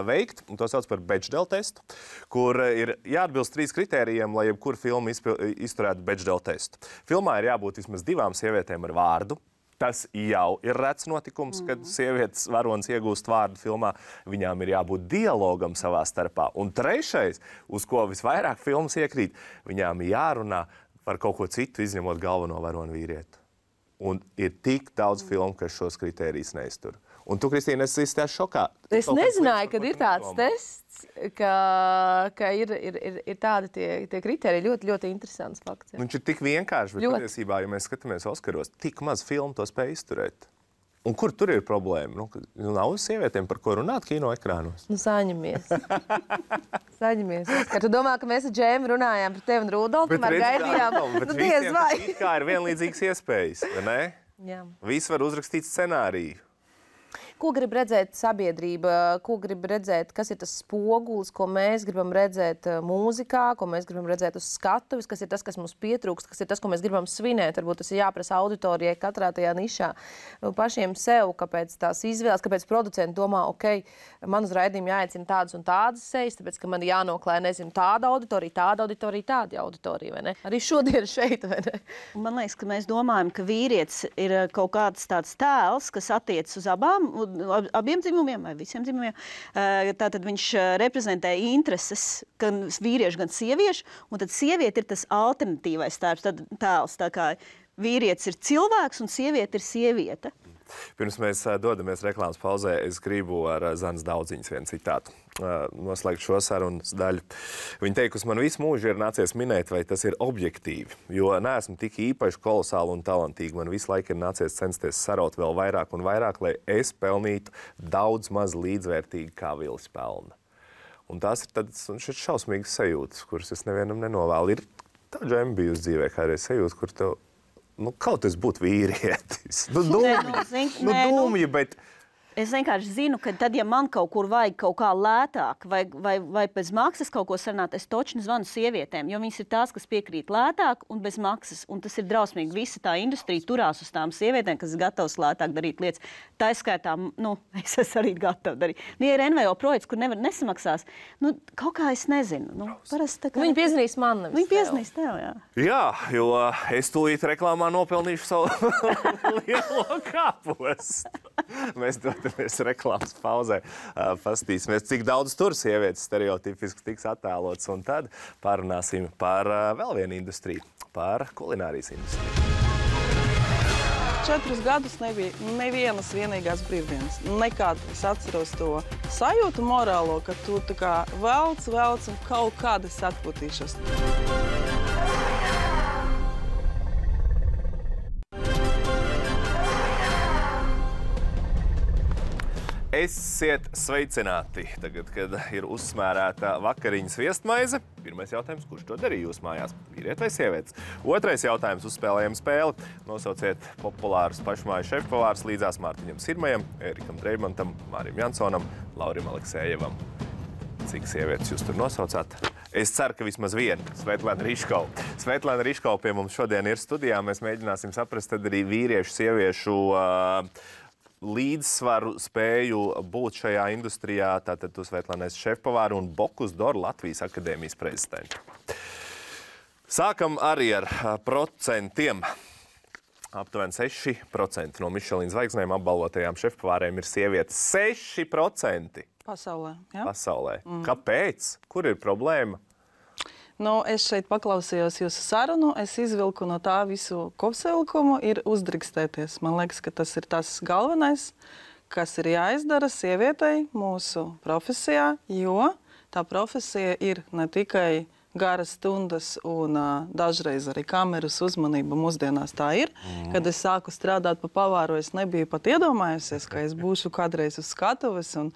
veikt, un to sauc par Bechdel testu, kur ir jāatbilst 3 kritērijiem, lai jebkura filma izturētu Bechdel testu. Filmā ir jābūt vismaz 2 sievietēm ar vārdu. Tas jau ir rets notikums, kad sievietes varonis iegūst vārdu filmā. Viņām ir jābūt dialogam savā starpā. Un 3, uz ko visvairāk filmas iekrīt, viņām jārunā par kaut ko citu, izņemot galveno varoni vīrieti. Un ir tik daudz filmu, kas šos kritērijus neiztur. Un tu, Kristīne, esi šokā. Es nezināju, kad ir tāds tests, ka ir tādi tie kriteriji. Ļoti, ļoti interesants fakts. Viņš ir tik vienkārši, bet patiesībā, ja mēs skatāmies Oskaros, tik maz filmu to spēj izturēt. Un kur tur ir problēma? Nav sievietēm, par ko runāt kino ekrānos? Saņemies. Kad tu domā, ka mēs ar Džēmu runājām par tevi un Rudolfu, kamēr gaidījām, diez vai. Bet kā ir vienlīdzīgas iespējas, vai ne? Jā. Visi var uzrakstīt scenāriju. Ko grib redzēt sabiedrība, ko grib redzēt, kas ir tas spogulis, ko mēs gribam redzēt mūzikā, ko mēs gribam redzēt uz skatuves, kas ir tas, kas mums pietrūkst, kas ir tas, ko mēs gribam svinēt. Varbūt tas ir jāprasa auditorijai katrā tajā nišā. Pašiem sev, kāpēc tās izvēles, kāpēc producenti domā, man uz raidījumu jāaicina tādas un tādas sejas, tāpēc, ka man jānoklē, nezinu, tāda auditorija, tāda auditorija, vai ne? Arī šodien šeit, vai ne? Man liekas, ka mēs domājam, ka vīrietis ir kaut kāds tāds tēls, kas attiecas uz abiem dzimumiem vai visiem dzimumiem. Tātad viņš reprezentē intereses gan vīriešu, gan sieviešu, un tad sieviete ir tas alternatīvais tēls. Tā kā vīrietis ir cilvēks un sieviete ir sieviete. Pirms mēs dodamies reklāmas pauzē, es gribu ar Zanas Daudziņas vienu citātu noslēgt šo sarunas daļu. Viņa teikusi, man visu mūžu ir nācies minēt, vai tas ir objektīvi, jo neesmu tik īpaši kolosāli un talantīgi. Man visu laiku ir nācies censties saraut vēl vairāk un vairāk, lai es pelnītu daudz maz līdzvērtīgi, kā Vilis pelna. Un tās ir tādas šausmīgas sajūtas, kuras es nevienam nenovēlu. Ir tā Džema bijusi dzīvē kādreiz sajūta, kur tev kaut kas būtu vīrietis. Dūmji, bet... Es vienkārši zinu, ka tad, ja man kaut kur vajag kaut kā lētāk vai bez maksas kaut ko sarunāt, es točni zvanu sievietēm, jo viņas ir tās, kas piekrīt lētāk un bez maksas. Un tas ir drausmīgi. Visa tā industrija turās uz tām sievietēm, kas ir gatavas lētāk darīt lietas. Tā skaitā, es esmu arī gatava darīt. Ja ir NVO projekts, kur nesamaksās, kaut kā es nezinu. Viņi piezvanīs man. Viņi piezvanīs tev, jā. Jā, jo es tūlīt reklāmā nopelnīšu savu lielo kāpostu. Mēs dodamies reklāmas pauzē, pastīsimies, cik daudz tur sievietes stereotipiski tiks attēlots, un tad parunāsim par vēl vienu industriju, par kulinārijas industriju. 4 gadus nebija nevienas vienīgās brīvdienas. Nekad es atceros to sajūtu morālo, ka tu tā kā velc un kaut kādi atpūtīšos. Esiet sveicināti! Tagad, kad ir uzsmērēta vakariņas viestmaize, pirmais jautājums, kurš to darīja jūsu mājās? Vīrieti vai sievietes? Otrais jautājums, uzspēlējam spēli. Nosauciet populārus pašmāju šefpavārus līdzās Mārtiņam Sirmajam, Erikam Dreimantam, Mārim Jansonom, Laurim Aleksējievam. Cik sievietes jūs tur nosaucāt? Es ceru, ka vismaz viena. Svetlana Riškova. Svetlana Riškova pie mums šodien ir studijā. Mēs mēģināsim saprast tad arī vīriešu, sieviešu līdzsvaru spēju būt šajā industrijā. Tātad tu, Svetlana, esi šefpavāra un Bocuse d'Or Latvijas akadēmijas prezidenta. Sākam arī ar procentiem. Aptuveni 6% no Michelin zvaigznēm apbalvotajām šefpavārēm ir sievietes. 6%! Pasaulē, jā? Pasaulē. Kāpēc? Kur ir problēma? Es šeit paklausījos jūsu sarunu, es izvilku no tā visu kopsavilkumu, ir uzdrīkstēties. Man liekas, ka tas ir tas galvenais, kas ir jāizdara sievietei mūsu profesijā, jo tā profesija ir ne tikai garas stundas un dažreiz arī kameras uzmanība mūsdienās tā ir. Kad es sāku strādāt pa pavāru, es nebiju pat iedomājusies, ka es būšu kādreiz uz skatuves un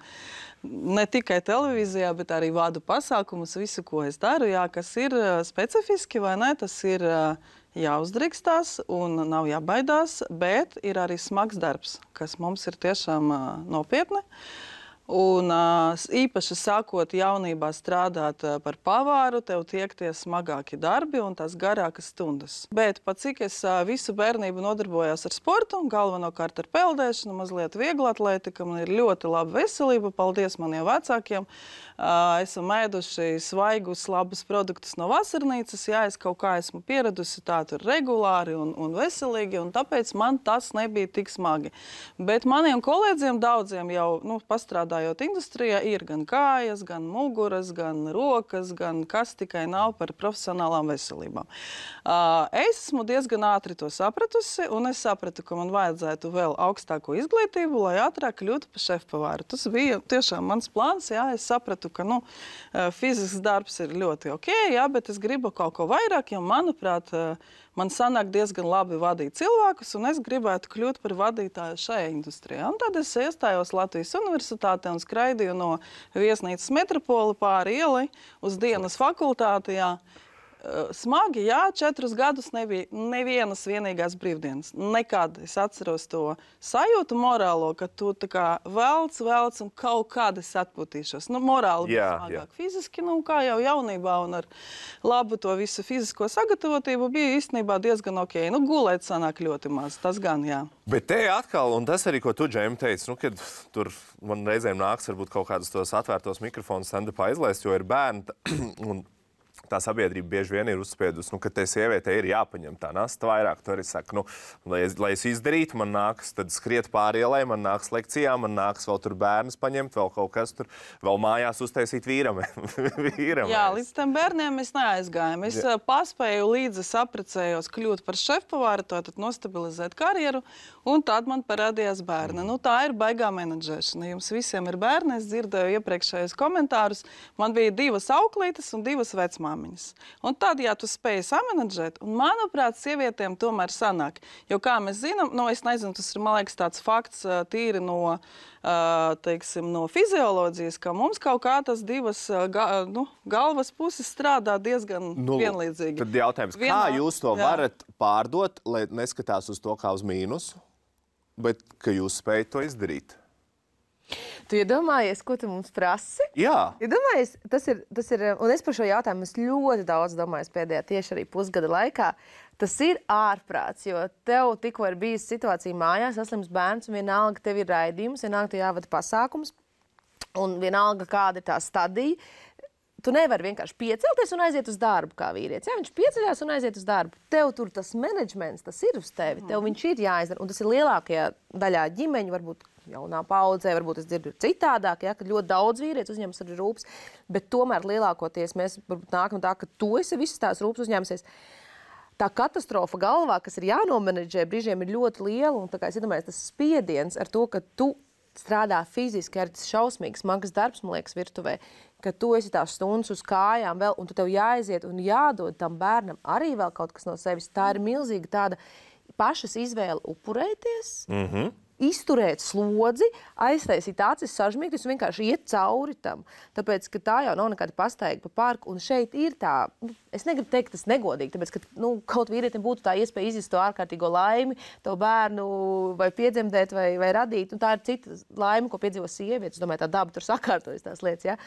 ne tikai televīzijā, bet arī vadu pasākumus, visu, ko es daru, jā, kas ir specifiski vai ne, tas ir jāuzdrīkstās un nav jābaidās, bet ir arī smags darbs, kas mums ir tiešām nopietni. Un īpaši sākot jaunībā strādāt par pavāru, tev tiek tie smagāki darbi un tās garākas stundas. Bet pat cik es visu bērnību nodarbojos ar sportu, galvenokārt ar peldēšanu, mazliet viegla atletika, man ir ļoti laba veselība, paldies maniem vecākiem. Esam ēduši svaigus, labus produktus no vasarnīcas, jā, es kaut kā esmu pieradusi tā tur regulāri un veselīgi, un tāpēc man tas nebija tik smagi. Bet maniem kolēģiem daudziem jau, pastrādājot industrijā, ir gan kājas, gan muguras, gan rokas, gan kas tikai nav par profesionālām veselībām. Es esmu diezgan ātri to sapratusi, un es sapratu, ka man vajadzētu vēl augstāko izglītību, lai ātrāk kļūtu par šefpavāru. Tas bija tiešām mans plāns, jā, es sapratu, ka fizisks darbs ir ļoti ok, jā, bet es gribu kaut ko vairāk, jo, manuprāt, man sanāk diezgan labi vadīt cilvēkus, un es gribētu kļūt par vadītāju šajā industrijā. Un tad es iestājos Latvijas universitātē un skraidīju no viesnīcas Metropoli pāri ielai uz dienas fakultāti, jā. Smagi, jā, 4 gadus nebija nevienas vienīgās brīvdienas. Nekad es atceros to sajūtu morālo, ka tu tā kā velc un kaut kādi atpūtīšos. Morāli bija smagāk. Fiziski, kā jau jaunībā un ar labu to visu fizisko sagatavotību bija īstenībā diezgan ok. Gulēt sanāk ļoti maz, tas gan, jā. Bet te atkal, un tas arī, ko tu, Džem, teici, kad tur man reizēm nāks varbūt kaut kādus tos atvērtos mikrofonus stand-upā izlaist, jo ir bērni un tā sabiedrība bieži vien ir uzspiedusi, ka te sievietei ir jāpaņem tā nasta vairāk. Tu arī saki, lai es izdarītu, man nāks tad skriet pāri ielai, man nāks lekcijā, man nāks vēl tur bērnus paņemt, vēl kaut kas tur, vēl mājās uztaisīt vīram. Jā, līdz tam bērniem mēs neaizgājām. Es paspēju līdzi saprecējos kļūt par šefpavāru, tātad nostabilizēt karjeru, un tad man parādījās bērni. Tā ir baigā menedžēšana. Jums visiem ir bērni, es dzirdēju iepriekšējos komentārus. Man bija 2 auklītes un 2 vecmāmiņas. Un tad, ja tu spēji samanedžēt, un manuprāt, sievietēm tomēr sanāk. Jo, kā mēs zinām, es nezinu, tas ir, man liekas, tāds fakts tīri no, teiksim, no fizioloģijas, ka mums kaut kā tas 2 galvas puses strādā diezgan vienlīdzīgi. Tad jautājums, kā jūs to varat pārdot, lai neskatās uz to kā uz mīnusu, bet ka jūs spējat to izdarīt? Tu iedomājies, ko tu mums prasi? Jā. Iedomājies, tas ir, un es par šo jautājumu ļoti daudz domāju pēdējā tieši arī pusgada laikā. Tas ir ārprāts, jo tev tikko ir bijusi situācija mājās, saslims bērns, un vienalga tev ir raidījums, vienalga tev jāvada pasākums, un vienalga kāda ir tā stadija. Tu nevari vienkārši piecelties un aiziet uz darbu kā vīrietis. Ja? Viņš pieceļās un aiziet uz darbu. Tev tur tas menedžments, tas ir uz tevi. Tev viņš ir jāizdara. Un tas ir lielākajā daļā ģimeņu, varbūt jaunā paudzē, varbūt es dzirdu citādāk, ja? Kad ļoti daudz vīrietis uzņemas arī rūpes. Bet tomēr lielākoties mēs nākam tā, ka tu esi visas tās rūpes uzņēmusies. Tā katastrofa galvā, kas ir jānomenedžē, brīžiem ir ļoti liela. Un tā kā es iedomājos, tas spiediens ar to, ka tu strādā fiziski, ar tas šausmīgs, smags darbs, man liekas, virtuvē, ka tu esi tās stundas uz kājām vēl, un tu tev jāaiziet un jādod tam bērnam arī vēl kaut kas no sevis. Tā ir milzīga tāda pašas izvēle upurēties, izturēt slodzi, aiztaisīt acis sažmīgties un vienkārši iet cauri tam. Tāpēc, ka tā jau nav nekāda pastaiga pa parku, un šeit ir tā, es negribu teikt, tas negodīgi, tāpēc, ka kaut vīrietim būtu tā iespēja izjust to ārkārtīgo laimi, to bērnu vai piedzemdēt vai radīt, un tā ir cita laime, ko piedzīvo sievietes. Es domāju, tā daba tur sakārtojas tās lietas, ja?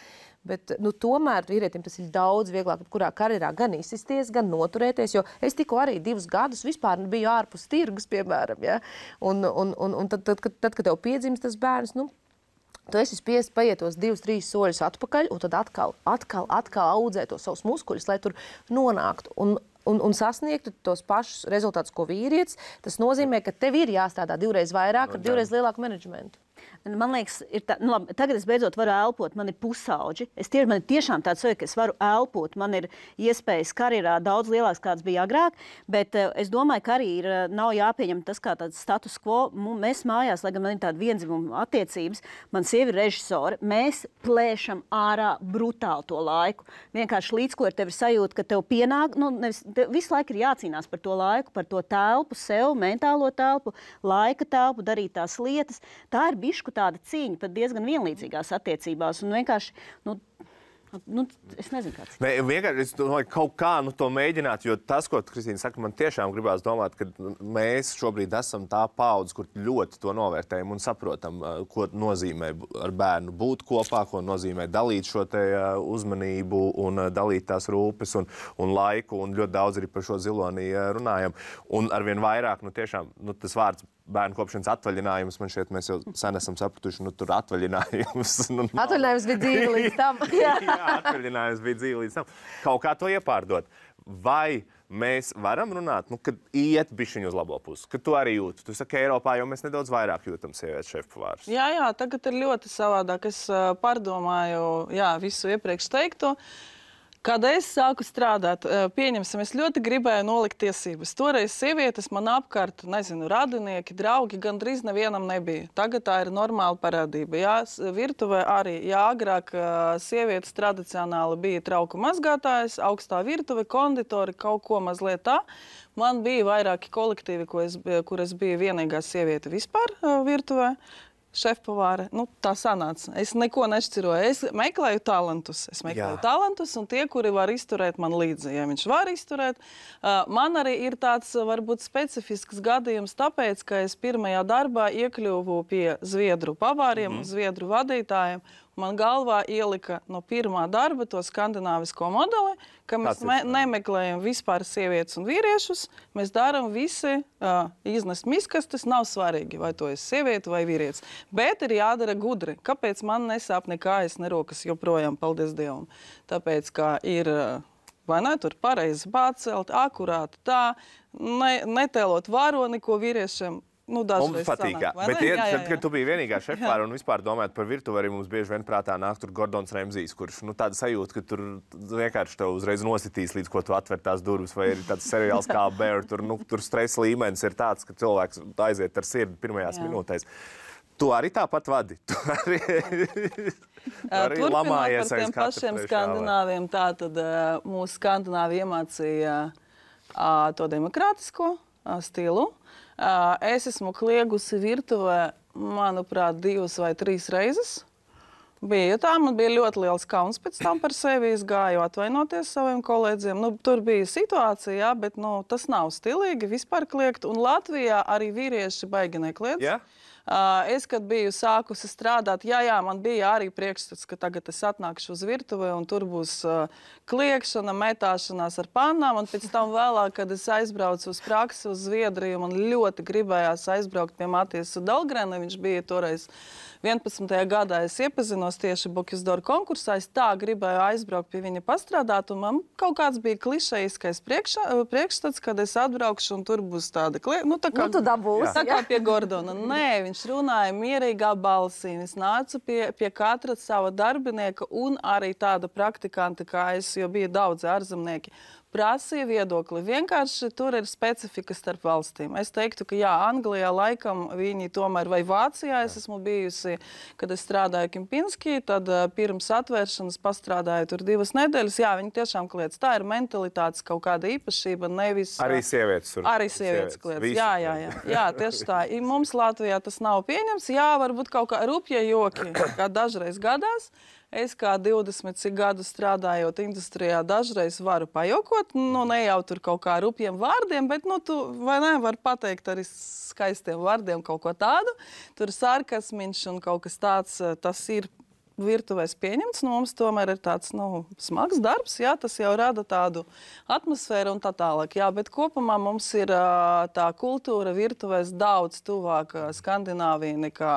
Bet tomēr vīrietim tas ir daudz vieglāk, kurā karjerā gan izsisties, gan noturēties, jo es tikko arī 2 gadus vispār biju ārpus tirgus, piemēram, ja? Un tad, kad tev piedzimst tas bērns, tu esi spiests paiet tos 2-3 soļus atpakaļ, un tad atkal audzēt tos savus muskuļus, lai tur nonāktu. Un sasniegtu tos pašus rezultātus, ko vīrietis. Tas nozīmē, ka tev ir jāstrādā 2 reizes vairāk ar 2 reizes lielāku menedžmentu. Man liekas, labi, tagad es beidzot varu elpot, man ir pusauģi. Man ir tiešām tāds sajūta, ka es varu elpot. Man ir iespējas karjerā daudz lielāks, kāds bija agrāk, bet es domāju, ka arī nav jāpieņem tas kā tāds status quo. Mēs mājās, lai gan man ir tāda vienzimuma attiecības, man sieva ir režisore, mēs plēšam ārā brutāli to laiku. Vienkārši līdz ko ar tevi sajūta, ka tev pienāk, visu laiku ir jācīnās par to laiku, par to telpu, sev, mentālo telpu, laika telpu, darīt tās lietas. Tā ir bišku tāda cīņa, pat diezgan vienlīdzīgās attiecībās. Un vienkārši, es nezinu, kāds. Nē, vienkārši es domāju, kaut kā to mēģināt, jo tas, ko Kristīna saka, man tiešām gribās domāt, ka mēs šobrīd esam tā paudze, kur ļoti to novērtējam un saprotam, ko nozīmē ar bērnu būt kopā, ko nozīmē dalīt šo te uzmanību un dalīt tās rūpes un laiku, un ļoti daudz arī par šo ziloni runājam. Un arvien vairāk, tiešām, tas vārds bērnu kopšanas atvaļinājums, man šķiet, mēs jau sen esam sapratuši, tur atvaļinājums. Atvaļinājums bija dzīve līdz tam. Jā, atvaļinājums bija dzīve līdz tam. Kaut kā to iepārdot. Vai mēs varam runāt, kad iet bišķiņu uz labo pusi, kad tu arī jūti? Tu saki, Eiropā jau mēs nedaudz vairāk jūtam sievietes šefpavārus. Jā, tagad ir ļoti savādāk. Es pārdomāju, visu iepriekš teikto. Kad es sāku strādāt, pieņemsim, es ļoti gribēju nolikt tiesības. Toreiz sievietes man apkārt, radinieki, draugi gandrīz nevienam nebija. Tagad tā ir normāla parādība. Jā, virtuvē arī, agrāk sievietes tradicionāli bija trauku mazgātājas, augstā virtuve, konditori, kaut ko mazliet tā. Man bija vairāki kolektīvi, kur es biju vienīgā sieviete vispār virtuvē. Šefpavāre, tā sanāca. Es neko nešķiroju. Es meklēju talantus. Un tie, kuri var izturēt man līdzi, ja viņš var izturēt. Man arī ir tāds, varbūt, specifisks gadījums, tāpēc, ka es pirmajā darbā iekļuvu pie zviedru pavāriem, zviedru vadītājiem. Man galvā ielika no pirmā darba to skandināvisko modeli, ka mēs nemeklējam vispār sievietes un vīriešus. Mēs darām visi iznest miskastes, nav svarīgi, vai to ir sieviete vai vīrietis. Bet ir jādara gudri. Kāpēc man nesāp ne kājas, ne rokas joprojām, paldies Dievam? Tāpēc, ka ir, vai ne, tur pareizi pacelt, akurāti tā, netēlot varoni, ko vīriešiem. Mums patīk, bet kad tu biji vienīgā šefpavāre un vispār domājot par virtuvi, arī mums bieži vien prātā nāk tur Gordons Ramsijs, kurš tāda sajūta, ka tur vienkārši tev uzreiz nositīs, līdz ko tu atver tās durvis, vai ir tāds seriāls kā Bear, tur stresa līmenis ir tāds, ka cilvēks aiziet ar sirdi pirmajās minūtēs. Tu arī tāpat vadi. Tu arī lamājies aiz katru pašiem skandināviem. Tātad mūsu skandināvi iemācīja to demokrātisko stilu. Es esmu kliegusi virtuvē, manuprāt, 2 vai 3 reizes. Bija tā, man bija ļoti liels kauns pēc tam par sevi. Es gāju atvainoties saviem kolēģiem. Tur bija situācija, jā, bet tas nav stilīgi vispār kliegt. Un Latvijā arī vīrieši baigi nekliedz. Yeah. Es, kad biju sākusi strādāt, man bija arī priekšstats, ka tagad es atnākšu uz virtuvi un tur būs kliekšana, metāšanās ar pannām. Un pēc tam vēlāk, kad es aizbraucu uz praksi uz Zviedriju, man ļoti gribējās aizbraukt pie Matijas Dahlgrena. Viņš bija toreiz 11. gadā. Es iepazinos tieši Bukisdoru konkursā. Es tā gribēju aizbraukt pie viņa pastrādāt. Un man kaut kāds bija klišejiskais priekšstats, kad es atbraukšu un tur būs tāda kliekšana. Tu dabūsi. Tā kā pie Gordona. Nē, viņš runāja mierīgā balsī. Es nācu pie katra sava darbinieka un arī tāda praktikanta, kā es, jo bija daudz ārzemnieki. Prasīja viedokli. Vienkārši tur ir specifika starp valstīm. Es teiktu, ka Anglijā laikam viņi tomēr, vai Vācijā es esmu bijusi, kad es strādāju Kempinski, tad pirms atvēršanas pastrādāju tur 2 nedēļas. Viņi tiešām kliedz. Tā ir mentalitātes kaut kāda īpašība, nevis... Arī sievietes tur. Arī sievietes kliedz. Jā, tieši tā. Mums Latvijā tas nav pieņems. Varbūt kaut kā rupja joki, kā dažreiz gadās. Es kā 20 gadus strādājot industrijā, dažreiz varu pajokot, ne jau tur kaut kā rupjiem vārdiem, bet tu vai ne, var pateikt arī skaistiem vārdiem kaut ko tādu. Tur sarkasmiņš un kaut kas tāds, tas ir virtuvēs pieņemts. Mums tomēr ir tāds smags darbs, tas jau rada tādu atmosfēru un tā tālāk. Bet kopumā mums ir tā kultūra virtuvēs daudz tuvāk Skandināvija nekā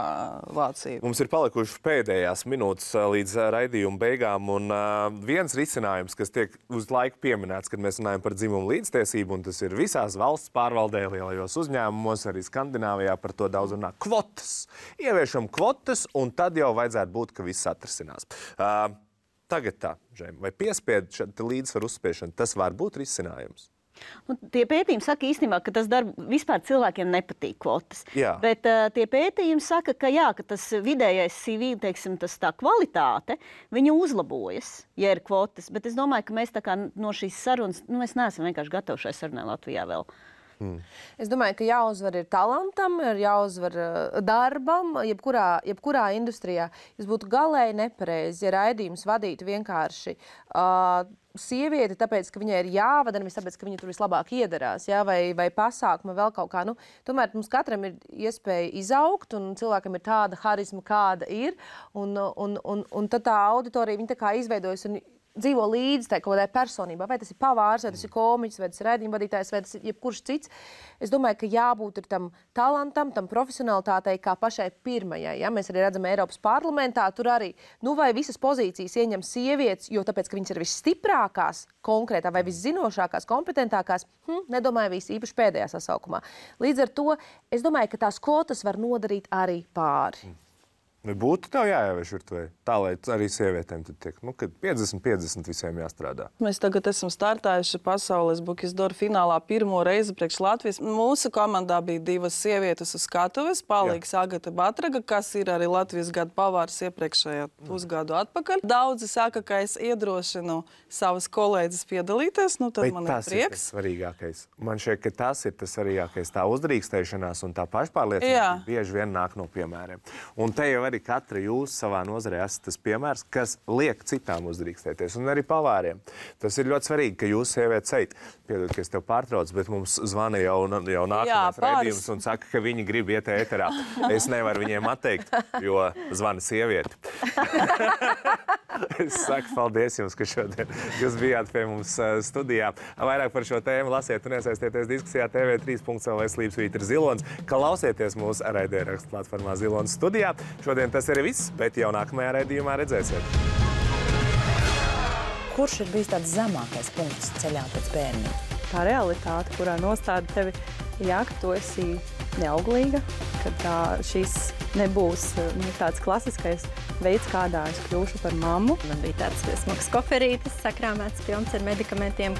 Vācija. Mums ir palikušas pēdējās minūtes līdz raidījuma beigām, un viens risinājums, kas tiek uz laiku pieminēts, kad mēs runājam par dzimumu līdztiesību, un tas ir visās valsts pārvaldē, lielajos uzņēmumos, arī Skandināvijā par to daudz runā. Kvotas. Ieviešam kvotas, un tad jau vajadzētu būt, ka viss atrisinās. Tagad tā, Žēma, vai piespiedu līdzsvaru uzspiešanu, tas var būt risinājums? Tie pētījumi saka īstenībā, ka tas vispār cilvēkiem nepatīk kvotas. Bet tie pētījumi saka, ka tas vidējais CV, teiksim, tā kvalitāte, viņa uzlabojas, ja ir kvotas. Bet es domāju, ka mēs tā kā no šīs sarunas, mēs neesam vienkārši gatavi šai sarunai Latvijā vēl. Es domāju, ka jāuzvar ir talantam, ir jāuzvar darbam, jebkurā industrijā. Es būtu galēji nepareizi, ja raidījums vadītu vienkārši sievieti, tāpēc, ka viņai ir jāvada, nevis tāpēc, ka viņa tur vislabāk iedarās, vai pasākuma vēl kaut kā. Tomēr mums katram ir iespēja izaugt, un cilvēkam ir tāda harizma, kāda ir, un tad tā auditorija, viņa tā kā izveidojas un dzīvo līdzi tai kaut kādai personībā. Vai tas ir pavārs, vai tas ir komiķis, vai tas ir raidījuma vadītājs, vai tas ir jebkurš cits. Es domāju, ka jābūt ir tam talantam, tam profesionalitātei kā pašai pirmajai. Mēs arī redzam Eiropas parlamentā, tur arī, vai visas pozīcijas ieņem sievietes, jo tāpēc, ka viņas ir visstiprākās, konkrētā vai viszinošākās, kompetentākās, nedomāju visi, īpaši pēdējā sasaukumā. Līdz ar to, es domāju, ka tās kvotas var nodarīt arī pāri. Būtu tev jāievieš virtuvē, tā, lai arī sievietēm tad tiek, kad 50-50 visiem jāstrādā. Mēs tagad esam startējuši pasaules Bukisdoru finālā pirmo reizi priekš Latvijas. Mūsu komandā bija 2 sievietes uz skatuves, palīgs Agata Batraga, kas ir arī Latvijas gada pavārs iepriekšējā pusgadu atpakaļ. Daudzi saka, ka es iedrošinu savas kolēģis piedalīties, tad man ir prieks. Tas ir tas svarīgākais. Man šķiet, ka tas ir tas svarīgākais. Tā uzdrīkstēšanās un tā pašpārliecība bieži vien nāk no piemēriem. Un te jau arī katra jūs savā nozarē esat tas piemērs, kas liek citām uzdrīkstēties, un arī pavāriem. Tas ir ļoti svarīgi, ka jūs sievietes eit. Piedod, ka es tev pārtraucu, bet mums zvana jau nākamais raidījums un saka, ka viņi grib iet ēterā. Es nevaru viņiem atteikt, jo zvana sievieti. Es saku paldies jums, ka šodien jūs bijāt pie mums studijā. Vairāk par šo tēmu lasiet un iesaistieties diskusijā tv3.lv/Slīpsvītra Zilonis, klausieties mūsu raidierakstu platformā Zilonis studijā. Šodien tas arī viss, bet jau nākamajā raidījumā redzēsiet. Kurš ir bijis tāds zemākais punkts ceļā pēc bērniem? Tā realitāte, kurā nostāda tevi, ka tu esi neauglīga, ka šis nebūs tāds klasiskais veids, kādā es kļūšu par mammu. Man bija tāds smags koferītis, sakrāmēts pilns ar medikamentiem.